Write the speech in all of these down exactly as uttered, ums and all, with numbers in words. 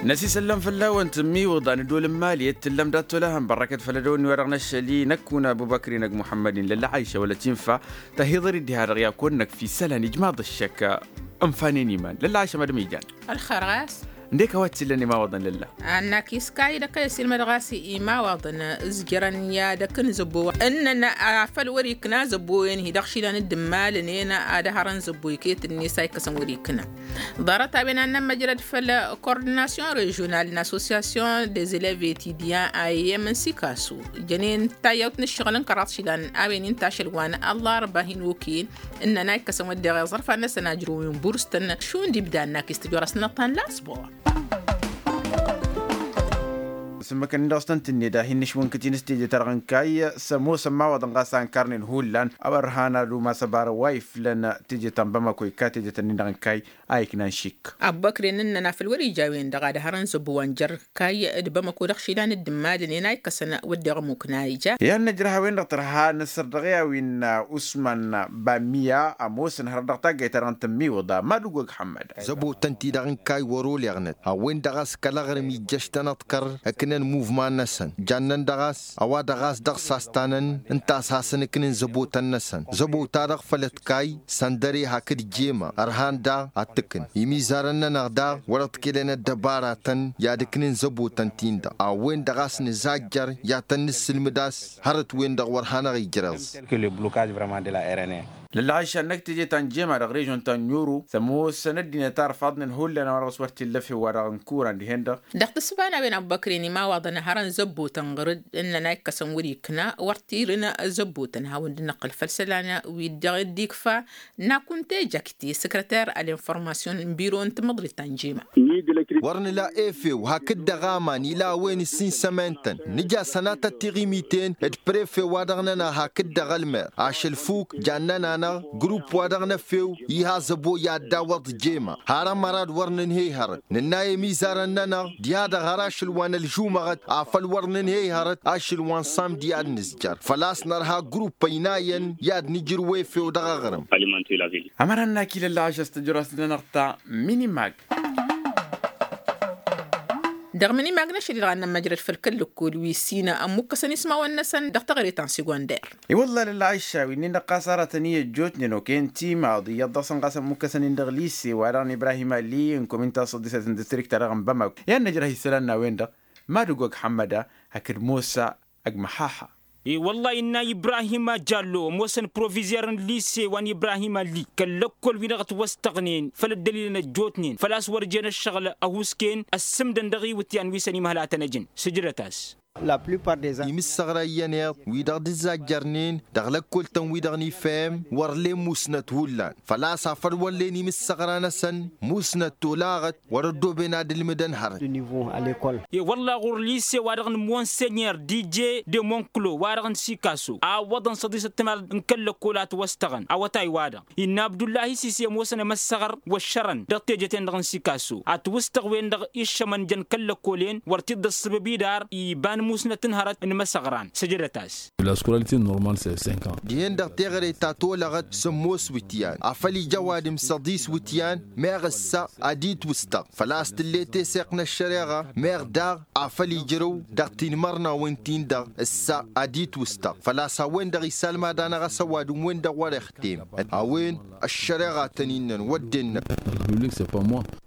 Năsisăllăm fălla-wăn tǝmmiwǝḍa n-ădol n-imali ed tǝllăm dat-tolăhăn bărrăkăt făll-ădăwănni-wa-dăɣ n-ašăl-i năkk kuna ăbubăkri n-ăgg muḥămmăd-in lălla aisha wăla tinfa. Tăhiḍăr-dd diha-dăɣ i-ad-kăwăn-năkk fi isălan ijmaḍ ăššăk. Ǝnfanen iman lălla aisha madăm ijan. Ălxer ɣas. Ǝndek a-wa t-illăn imawaḍăn lălla. Annak iskay dăkk a-s ilmăd ɣas imawaḍăn. Ǝzjărăn i-ad-ăkk n-zăbbo ǝnnăn afăl wăr-ikna zăbbo-en hi-dăɣ išilan dd-immalăn-en. Ad-ăhărăn zăbbo iket-net a ikkăsăn wăr-ikna. Ḍarăt a-wen ad-nămmăjrăd făll-kordinasyon režional n-assosyasyon dez-elev etidyan a i-iyyăm n-sikasu. Jănen tayyăwt n-ǝššăɣǝl n-kăraḍ išilan a-wen inta ašăl wa n-ăllarba hin-oken. Ǝnnăn a ikkăsăn wădden iẓărfan-năsăn ajrăw n-burs-tăn šund ibda ănnak istăjorăsnăɣ ta n-lasbor. Sǝmmăkăn-in dăɣ-s tăn-tǝnned a hin-nǝšwǝnkăt-in s-teje-ta-dăɣ n-kayy s-ămoosăn imawaḍăn ɣas a ǝnkarnen hullan. A-wa ărhan ad-umas ăbarăw wa iflăn teje ta n-bamăko ikka teje-tăn-in-dăɣ n-kayy. A iknan šik. Abbăkren ǝnnăn afăl wăr-ija a-wen-dăɣ ad-hărăn zăbbo wa n-jer-kayy d-bamăko dăɣ-išilan dd-immadăn-en a ikkăsăn wădden ămmukna ija. I-ad-nǝjrăh a-wen-dăɣ tărha n-asărdăɣ i-a-wen usman bammiya ămoosăn hărăt dăɣ-taggayt-ta-dăɣ n-tǝmmiwǝḍa madugog ḥămmăd. Zăbo-tăn-ti-dăɣ n-kayy wăr-oleɣnăt a-wen-dăɣ a-s kăl-aɣrǝm ijjăš-tăn ăḍkăr ǝknăn muvman-năsăn. Jannen dăɣ-a-s a-wa dăɣ-a-s dăɣ-s a-s tanăn ǝnta a-s hasăn-ǝknǝn zăbo-tăn-năsăn zăbo-ta-dăɣ făll-ătkay. Săndăre hakd jema ărhan daɣ ad-t-ǝkn imizarăn-nănăɣ daɣ wăr-ăḍkilăn ăddăbaratăn i-ad-ǝknǝn zăbo-tăn-tin-dăɣ a-wen-dăɣ a-s nǝzajjăr i-ad-tăn-nǝssǝlmǝd a-s hărăt-wen-dăɣ wăr hanăɣ-ijrăẓ. Lălla ašan-năk teje ta n-jema dăɣ-režon ta n-oro s-ămoosăn ăddinăt arfaḍnen hullan a-wa dăɣ-s wăr t-illa efew wa dăɣ-n kuran dihen-dăɣ. Dăɣ-tǝssǝba n-a-wen ăbbăkren imawaḍăn hărăn zăbbo-tăn ɣǝr-dd ǝnnăn a ikkăsăn wăr-ikna wăr tirǝn zăbbo-tăn hawăn-dd-năqqǝl făll-isălan wi-dd-ikfa. Nakunte jakte săkrăter ălinfărmasyon n-biro n-tamăḍrit ta n-jema. Wăr nǝla efew hakd-dăɣ aman ila a-wen ǝssin sămen-tăn nǝja sănatăt tiɣimiten d-prefe wa dăɣ-nănăɣ hakd-dăɣ ălmer ašăl fuk jannen-anăɣ grup wa dăɣ-năfew. Iha zăbo i-ad-dawăḍ jema har ămăra d-wăr nǝnhăy hărăt nǝnna i-imizarăn-nănăɣ diha-dăɣ har ašăl wa n-ălžumăɣăt afăl wăr nǝnhăy hărăt ašăl wa n-samdi ad-nǝzjăr făl-a-s nărha grup ăynayăn i-ad-nǝjrǝw efew dăɣ-aɣrǝm. Ămăra n-akil ăllaɣ ašăs tǝjrăs-nănăɣ ta minimag. Dăɣ-minimag n-ašăl-i-dăɣ ad-nămmăjrăd făll-kăl-lăkkol wi s-ină ămmukkăsăn ismawăn-năsăn dăɣ-teɣăre ta n-segonder. I-wălla lălla ašša wi-nin-dăɣ ɣas aratăn-i ăjjootnen oken timaḍ iyyăḍ dăɣ-săn ɣas ămmukkăsăn-in dăɣ-lise wa dăɣ-n ibrahim ali n-komin ta s-ăḍḍisăt n-distrikt-ta-dăɣ n-bamako i-ad-năjrăh isălan n-a-wen-dăɣ. Madug ăgg ḥămmăda hakd mosa ăgg măhaha. I-wălla innă ibrahim ăjallo ămoosăn provizer n-lise wa n-ibrahim ali kăl-lăkkol-wi-dăɣ ătwăstăɣnen făll-ăddălil n-ăjjootnen făl-a-s wăr jen ăššăɣǝl ăhuusken ăssǝmdăn dăɣ-iwǝtyan wi săn imhăl a tăn-ăjǝn sǝjdăt-as. Imǝssăɣra iyyăn iḍ wi-dăɣ dd-ǝzzajjărnen dăɣ-lăkkol-tăn-wi-dăɣ n-ifem wăr len musnăt hullan făl-a-s afăl wăr len imǝssăɣra-năsăn musnăt tolaɣăt wăr-ăddooben ad-ǝlmǝdăn hărăt. I-wălla ɣur-lise-wa-dăɣ n-monsenyer dije de monklo wa-dăɣ n-sikaso a ǝwwăḍăn s-ăḍisăt timaḍ n-kăl-lăkkol a ătwăstăɣăn awătay-wa-dăɣ innă abdullahi sisi ămoosăn emăssăɣăr wăššărăn dăɣ-teje-ten-dăɣ n-sikaso. Ătwǝstăɣ-wen-dăɣ iššămăn jăn kăl-lăkkolen wăr t-dd-ăṣṣăbăb idar iba n-musnăt n-hărăt n-imăsăɣran săjdăt-as. La scolarité normale c'est cinq ans. Dihen-dăɣ teɣăre ta tolăɣăt sămoos wǝtyan afăl ija ăwadǝm s-ăḍis wǝtyan meɣ ǝssa ad-itwǝstăɣ făl-a-s tǝlle teseɣt n-ăššăreɣa meɣ daɣ afăl ijrăw dăɣ-tinmărnawen-tin-dăɣ ǝssa ad-itwǝstăɣ făl-a-s a-wen-dăɣ isalmad-anăɣ a-s ăwadǝm-wen-dăɣ wăr-ixtem a-wen ăššăreɣa tăn-innăn wădden-năk.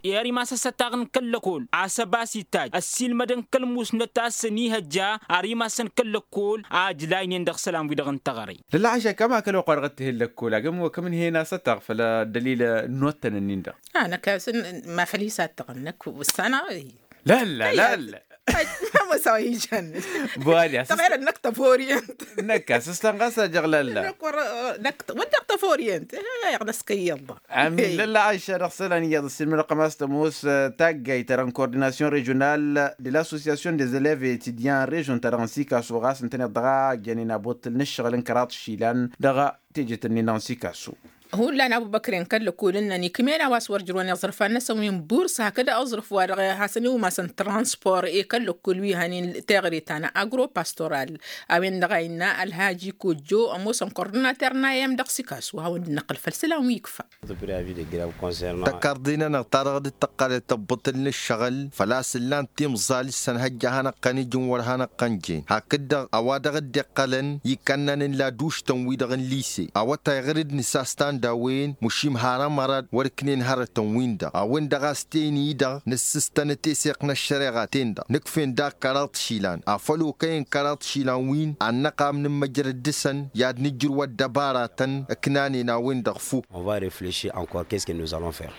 Eri ma s-ăssătaɣ n-kăl-lăkol a-s ăbas itaj ăssiilmădăn kăl-musnăt a-s ănihăjja ar imassăn kăl-lăkol a ǝjlaynen dăɣ-isălan-wi-dăɣ n-teɣăre. Lălla ašăk ămakăl oqq wa dăɣ-t-hen lăkkol agǝm wa kăm-ǝnhen asătaɣ făll-ăddălil n-inuttăn-ǝnnin-dăɣ. A năkk a-s ma făl-i s-ad-tăɣăn năkk wǝssanăɣ. Lălla lălla. Mămăsaw ijan. Bwali a-s tăɣelăn năkk tăforiyăn. Năkk a-s ǝslan ɣas ajăɣ lălla. Năkk wăr-dăɣ tăforiyăn. Iɣnăskăyyăḍ. Amin lălla ašša dăɣ-isălan iyyăḍ ǝssinmădăɣ kămas tămoos taggayt-ta-dăɣ n-kordinasyon režional de l-associasyon des eleves etidyan režon-ta-dăɣ n-sikaso ɣas ǝntăneḍ dăɣ-a jănen abotăl n-ǝššăɣǝl n-kăraḍ išilan dăɣ-tejet-ǝnnin-dăɣ n-sikaso. Hullan abubăkren kăl-lăkul ǝnnăn ikmen a-wa s-wăr jărwen iẓrǝfan-năsăn wi n-burs hakd aẓrǝf-wa-dăɣ hasăn-iwmasăn transpor i-kăl-lăkul wi hănen teɣăre ta n-agropastoral. A-wen-dăɣ a innă ălhaji kojjo ămoosăn kordinater n-a i-m dăɣ-sikas wa hawăn-dd-năqqǝl făll-isălan wi ikfa. Tăkarḍe-nănăɣ ta dăɣ-dd-tăqqălăt ăbbăṭăl n-ǝššăɣǝl făl-a-s ǝllan timẓal s-ănhăjja a hanăɣ-tăn-ǝjǝn wăr hanăɣ-tăn-jen hakd-dăɣ a-wa dăɣ-dd-iqqălăn ikkănnăn n-laduštăn-wi-dăɣ n-lise a-wa tayɣăr d-nǝsas tanda a-wen mušim har ămărad wăr-ǝknen hărătăn-win-dăɣ a-wen-dăɣ a-s teni-dăɣ nǝssǝstănăt eseɣt n-ăššăreɣa-ten-dăɣ nǝkf'-en daɣ kăraḍ išilan afăl okăyăn kăraḍ išilan-win ad-năqam nǝmmăjrăd dăɣ-săn i-ad-nǝjrǝw ăddăbaratăn ǝknanen a-wen-dăɣ fuk. On va reflechir encore qu'est-ce que nous allons faire.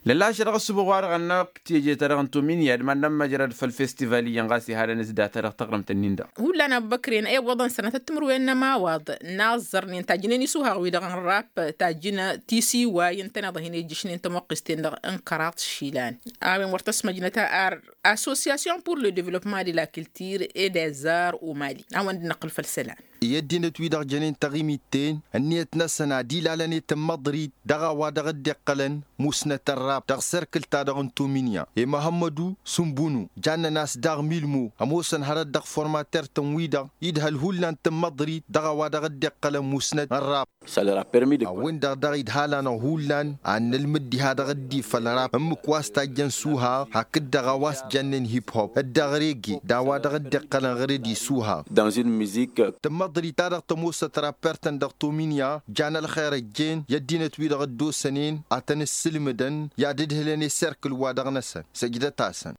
Lălašăr ɣas subăɣ wa-dăɣ ănnăɣ teje-ta-dăɣ n-tominya d-mad-nămmăjrăd făll-festival iyyăn ɣas ihadăn s-data-dăɣ taɣrǝmt-nin-dăɣ. Hullan abubăkren ewwăḍăn sănatăt timǝrwen n-ămawaḍ n-aẓẓărnen tajjǝnen isuhaɣ-wi-dăɣ n-rap tajjǝn tisiway ǝntăneḍ a hin-ejjǝšnen tămoqqist-en-dăɣ n-kăraḍ išilan. A-wen wăr tăsmăjnăt ar association pour le developpement de la culture et des arts au mali a-wen dd-năqqǝl făll-isălan. I-ăddinăt-wi-dăɣ jănen taɣimit-ten ǝnniyăt-năsăn ad-ilalăn i-tǝmmăḍrit dăɣ-a-wa dăɣ-dd-iqqălăn musnăt ărrab dăɣ-serkǝl-ta-dăɣ n-tominya i-măhămmădu sǝmbunu jannen a-s daɣ milmo ămoosăn hărăt dăɣ-formater-tăn-wi-dăɣ idhăl hullan tǝmmăḍrit dăɣ-a-wa dăɣ-dd-iqqălăn musnăt ărrab. A-wen-dăɣ daɣ idhal-anăɣ hullan ad-nǝlmǝd diha dăɣ-dd-ifăl ărrab ǝmmǝk wa s-tajjăn suhaɣ hakd-dăɣ a-wa s-jănnen hip-hop d-dăɣ rege d-a-wa dăɣ-dd-iqqălăn ɣǝr-dd isuhaɣ. Tǝmmăḍrit-ta-dăɣ tămoosăt rapper-tăn dăɣ-tominya jan ălxer ăjjeen i-ăddinăt-wi-dăɣ ăddoosănen ad-tăn-ǝssǝlmǝdăn i-ad-ǝdhǝlăn i-serkǝl-wa-dăɣ-năsăn. Săjdăt-asăn.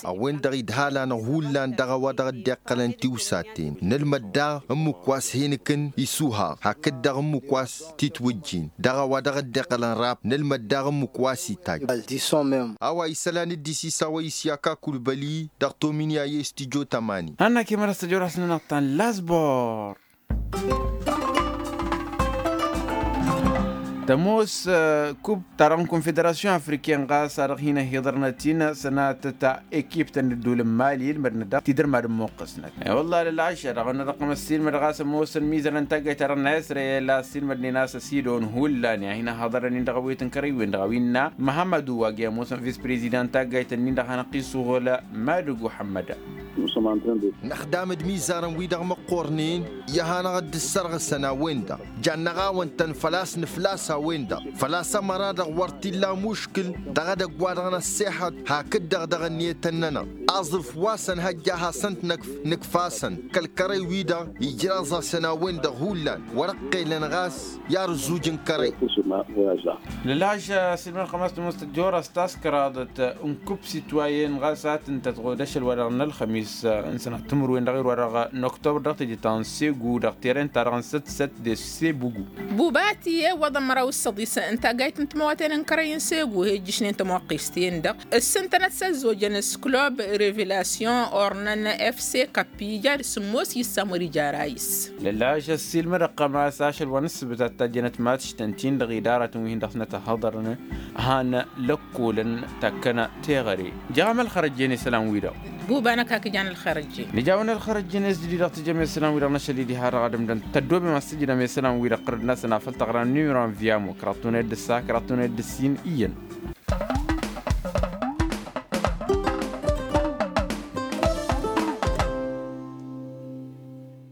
A-wen-dăɣ idhal-anăɣ hullan dăɣ-a-wa dăɣ-dd-iqqălăn tiwsaten nǝlmăd daɣ ǝmmǝk wa s-hin-ǝkǝn isuhaɣ hakd-dăɣ ǝmmǝk wa s-titwǝjjin dăɣ-a-wa dăɣ-dd-iqqălăn rap nǝlmăd daɣ ǝmmǝk wa s-itajj. A-wa isălan dd-isisawăy isyaka kulbăli dăɣ-tominya i-studyo tămani. Hannăk i-măra s-tăjorăs-nănăɣ ta n-lasbor. Tămoos kub ta dăɣ-n konfederasyon afriken ɣas a dăɣ-hin-ăhiḍărnăt-in sănatăt ekiptăn d-ăddol n-mali ǝlmădnăt daɣ tidărmad n-imuqqǝsnăt. I-wălla lălɣaš a dăɣ-năḍăqqăm ăssiilmăd ɣas ămoosăn mizărăn taggayt ta dăɣ-năsrăyăl a ăssiilmădnen a-s ăsidon hullan i-ad-hin-ăhhăḍărăn-in dăɣ-awet n-kărăywen dăɣ-a-wi ǝnna măhămmădu wa g-i ămoosăn vis-prezidant taggayt-nin-dăɣ hanăɣ-t-isuɣǝl madǝg uḥămmăd. Năxdam d-imizarăn-wi-dăɣ măqqornen i-ad-hanăɣ-dd-ǝssărɣǝsăn a-wen-dăɣ. Jannăɣ-awăn-tăn făl-a-s nǝflas a-wen-dăɣ făl-a-s ămăra-dăɣ wăr t-illa muškǝl dăɣ-edăgg wa dăɣ-năssexăḍ hakd-dăɣ dăɣ-ǝnniyătăn-nănăɣ. Aẓrǝf wa s-ănhăjja ad-hasăn-t-nǝkf nǝkf-asăn kăl-kărăy-wi-dăɣ ijraẓ-asăn a-wen-dăɣ hullan wăr-ăqqelăn ɣas i-arǝzzuj n-kărăy. Lălhaš a-s ilmăn xămas tămoos tăjjorăs taskăraḍăt n-kub sitwayen ɣas a tǝntăt ɣud ašăl wa dăɣ-nălxămis n-sănat timǝrwen dăɣ-irwa dăɣ-năktobăr dăɣ-teje ta n-segu dăɣ-teren-ta-dăɣ n-săt-săt de sebugu. Bubati i-iwwăḍăn măraw s-săḍis n-taggayt n-timăwaten n-kărăy n-segu he-ǝjjǝšnen tămoqqist-en-dăɣ ǝssǝntănăt s-ăzzojăn s-klub revelasyon ornăn fc kappi ija d-sǝmmos yǝssam wăr-ija arayǝs. Lălhaš ăssiilmădăɣ-tăm a-s ašăl wa n-ǝssǝbǝt ad-tajjănăt matštăn-t-in dăɣ-idaratăn wi hin-dăɣ-snăt ăhhăḍărăn han lăkkolăn takkănă teɣăre. Jăɣăm ălxărăjjen isălan-wi-dăɣ. Buba-năk hak ijan ălxărăjjen. Nǝjawăn ălxărăjjen s-didi-dăɣ tǝjjăm isălan-wi-dăɣ n-ašăl-i diha-dăɣ ad-ǝmdăn tăddoobem ad-s tǝjǝdăm isălan-wi-dăɣ ɣur-dd-năsăn afăl taɣra n-numero n-viamo kăraḍ tunăyăt d-ǝssa kăraḍ tunăyăt d-ǝssin iyyăn.